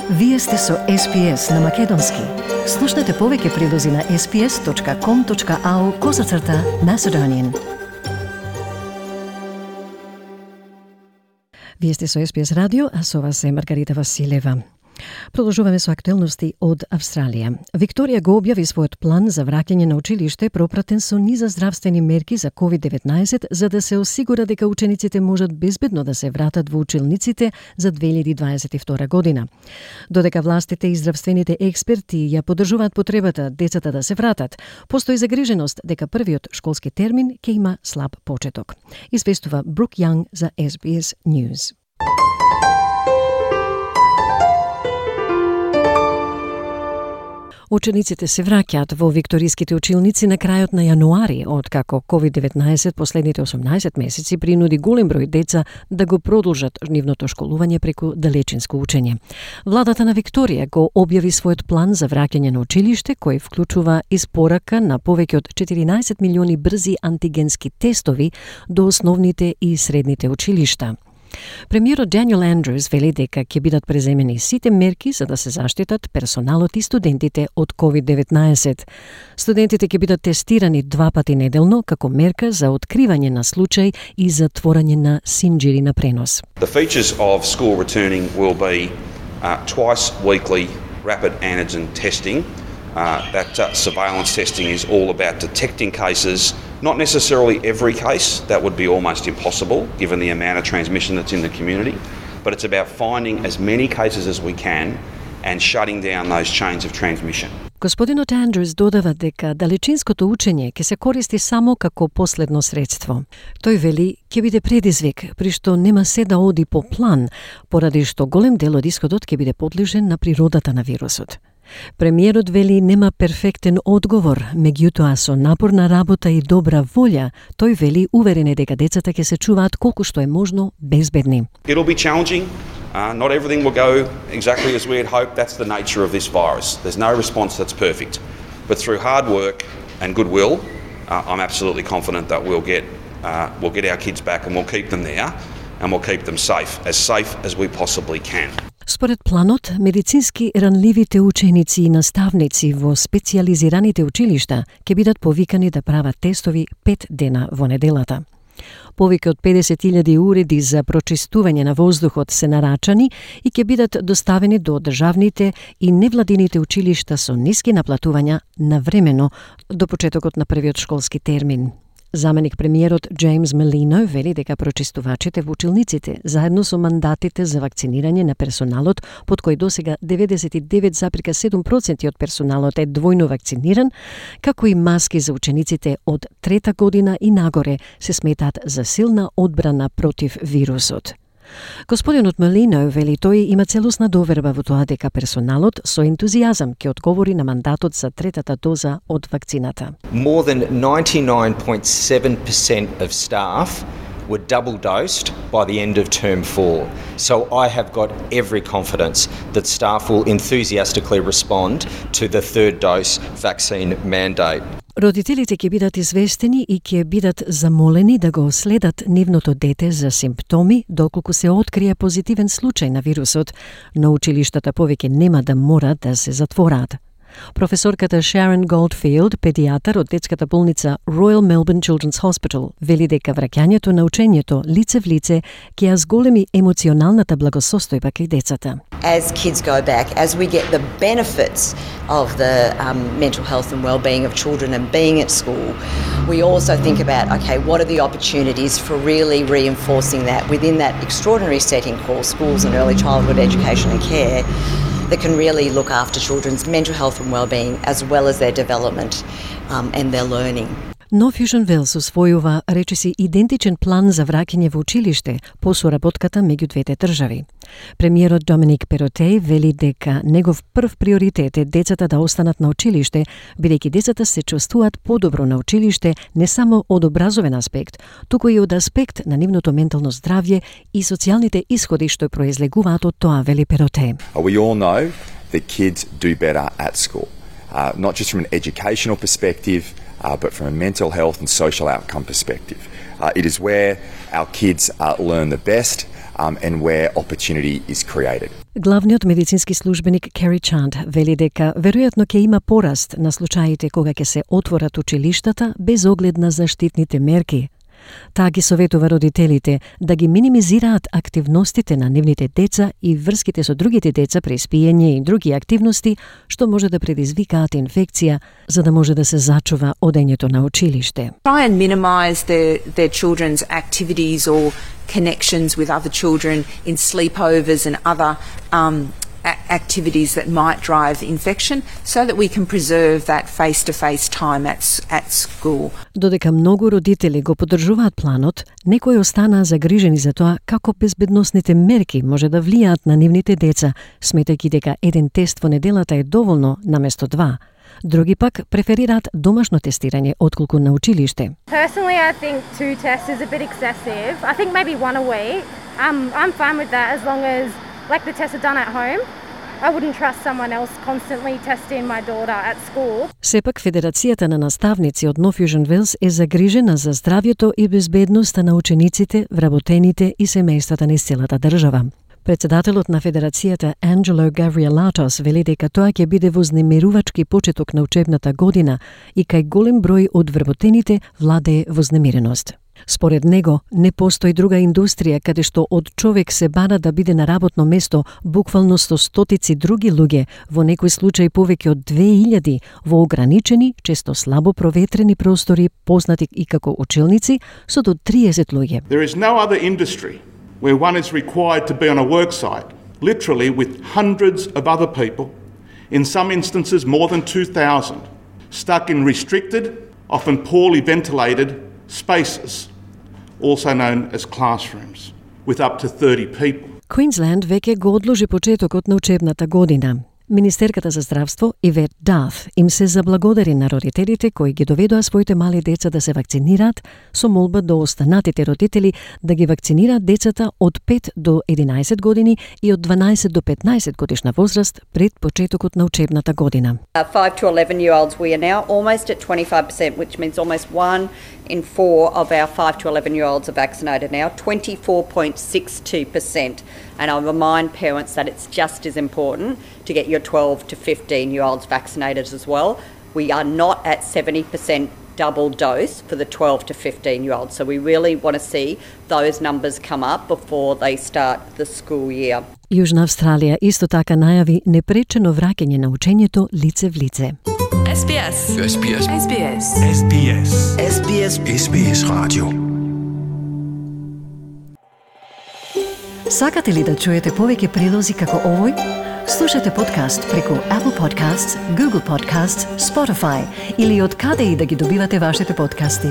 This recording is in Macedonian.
Вие сте со SPS на Македонски. Слушнете повеќе прилози на sps.com.au/Macedonian. Вие сте со SPS радио, а со вас е Маргарита Василева. Продолжуваме со актуелности од Австралија. Викторија го објави својот план за враќање на училиште пропратен со низа здравствени мерки за COVID-19 за да се осигура дека учениците можат безбедно да се вратат во училниците за 2022 година. Додека властите и здравствените експерти ја поддржуваат потребата децата да се вратат, постои загриженост дека првиот школски термин ќе има слаб почеток. Известува Брук Јанг за SBS News. Учениците се враќаат во викториските училници на крајот на јануари, откако COVID-19 последните 18 месеци принуди голем број деца да го продолжат нивното школување преку далечинско учење. Владата на Викторија го објави својот план за враќање на училиште, кој вклучува испорака на повеќе од 14 милиони брзи антигенски тестови до основните и средните училишта. Премиерот Даниел Андрюс вели дека ќе бидат преземени сите мерки за да се заштитат персоналот и студентите од COVID-19. Студентите ќе бидат тестирани 2 пати неделно како мерка за откривање на случај и затворање на синџири на пренос. The features of school returning will be twice weekly rapid antigen testing. That surveillance testing is all about detecting cases, not necessarily every case. That would be almost impossible given the amount of transmission that's in the community. But it's about finding as many cases as we can and shutting down those chains of transmission. Господинот Андрюс додава дека далечинското учење ќе се користи само како последно средство. Тој вели ќе биде предизвик, при што нема се да оди по план, поради што голем дел од исходот ќе биде подлежен на природата на вирусот. Премиерот вели нема перфектен одговор, меѓутоа со напорна работа и добра волја, тој вели уверен е дека децата ќе се чуваат колку што е можно безбедни. It'll be challenging. Not everything will go exactly as we had hoped. That's the nature of this virus. There's no response that's perfect. But through hard work and goodwill, I'm absolutely confident that we'll get our kids back and we'll keep them there and we'll keep them safe as we possibly can. Според планот, медицински ранливите ученици и наставници во специјализираните училишта ќе бидат повикани да прават тестови 5 дена во неделата. Повеќе од 50.000 уреди за прочистување на воздухот се нарачани и ќе бидат доставени до државните и невладините училишта со ниски наплатувања навремено до почетокот на првиот школски термин. Заменик премиерот Джеймс Мелино вели дека прочистувачите во училниците, заедно со мандатите за вакцинирање на персоналот, под кој досега 99,7% од персоналот е двојно вакциниран, како и маски за учениците од 3-та година и нагоре, се сметаат за силна одбрана против вирусот. Господинот Мелино вели тој има целосна доверба во тоа дека персоналот со ентузијазам ќе одговори на мандатот за 3-та доза од вакцината. More than 99.7% of staff were double dosed by the end of term 4. So I have got every confidence that staff will enthusiastically respond to the 3rd dose vaccine mandate. Родителите ќе бидат известени и ќе бидат замолени да го следат нивното дете за симптоми доколку се открие позитивен случај на вирусот, но училиштата повеќе нема да мора да се затвораат. Професорката Sharon Goldfield, педијатар од детската болница Royal Melbourne Children's Hospital, вели дека враќањето на учењето лице в лице ќе ја зголеми емоционалната благосостојба кај децата. As kids go back, as we get the benefits of the mental health and well-being of children and being at school, we also think about, okay, what are the opportunities for really reinforcing that within that extraordinary setting called schools and early childhood education and care, that can really look after children's mental health and well-being as well as their development and their learning. Но Fusion Wells усвојува речиси идентичен план за враќање во училиште по соработката меѓу двете држави. Премиерот Доминик Перотеј вели дека негов прв приоритет е децата да останат на училиште, бидејќи децата се чувствуваат подобро на училиште не само од образовен аспект, туку и од аспект на нивното ментално здравје и социјалните исходи што произлегуваат од тоа, вели Перотеј. We all know that kids do better at school, not just from an educational perspective, but from a mental health and social outcome perspective. It is where our kids learn the best, and where opportunity is created. Главниот медицински службеник Кери Чанд вели дека веројатно ќе има пораст на случаите кога ќе се отворат училиштата без оглед на заштитните мерки. Таа ги советува родителите да ги минимизираат активностите на нивните деца и врските со другите деца при спиење и други активности што може да предизвикаат инфекција, за да може да се зачува одењето на училиште. Try and minimize their children's activities or connections with other children in sleepovers and other activities that might drive infection so that we can preserve that face-to-face time at school. Додека многу родители го поддржуваат планот, некои останаа загрижени за тоа како безбедносните мерки може да влијаат на нивните деца, сметајќи дека еден тест во неделата е доволно наместо два. Други пак преферираат домашно тестирање отколку на училиште. Personally, I think 2 tests is a bit excessive. I think maybe 1 a week. I'm fine with that as long as the tests are done at home. I wouldn't trust someone else constantly testing my daughter at school. Сепак Федерацијата на наставници од Нов Јужен Велс е загрижена за здравјето и безбедноста на учениците, вработените и семејствата низ целата држава. Председателот на Федерацијата Анджело Гавриелатос вели дека тоа ќе биде вознемирувачки почеток на учебната година и кај голем број од вработените владее вознемиреност. Според него, не постои друга индустрија каде што од човек се бара да биде на работно место буквално со стотици други луѓе, во некој случај повеќе од 2000 во ограничени, често слабо проветрени простори, познати и како училници, со до 30 луѓе. There is no other industry where one is required to be on a work site, literally with hundreds of other people, in some instances more than 2,000, stuck in restricted, often poorly ventilated spaces, also known as classrooms, with up to 30 people. Квинсленд веќе го одложи почетокот на учебната година. Министерката за здравство Ивет Даф им се заблагодари на родителите кои ги доведоа своите мали деца да се вакцинираат со молба до останатите родители да ги вакцинираат децата од 5 до 11 години и од 12 до 15 годишна возраст пред почетокот на учебната година. 5 to 11-year-olds, we are now almost at 25%, which means almost 1 in 4 of our 5 to 11-year-olds are vaccinated now, 24.62%. And I remind parents that it's just as important to get your 12 to 15-year-olds vaccinated as well. We are not at 70% double dose for the 12 to 15-year-olds. So we really want to see those numbers come up before they start the school year. Јужна Австралија исто така најави непречено враќање на учењето лице в лице. SBS. SBS. SBS. SBS. SBS. SBS Radio. Сакате ли да чуете повеќе прилози како овој? Слушате подкаст преку Apple Podcasts, Google Podcasts, Spotify или од каде и да ги добивате вашите подкасти.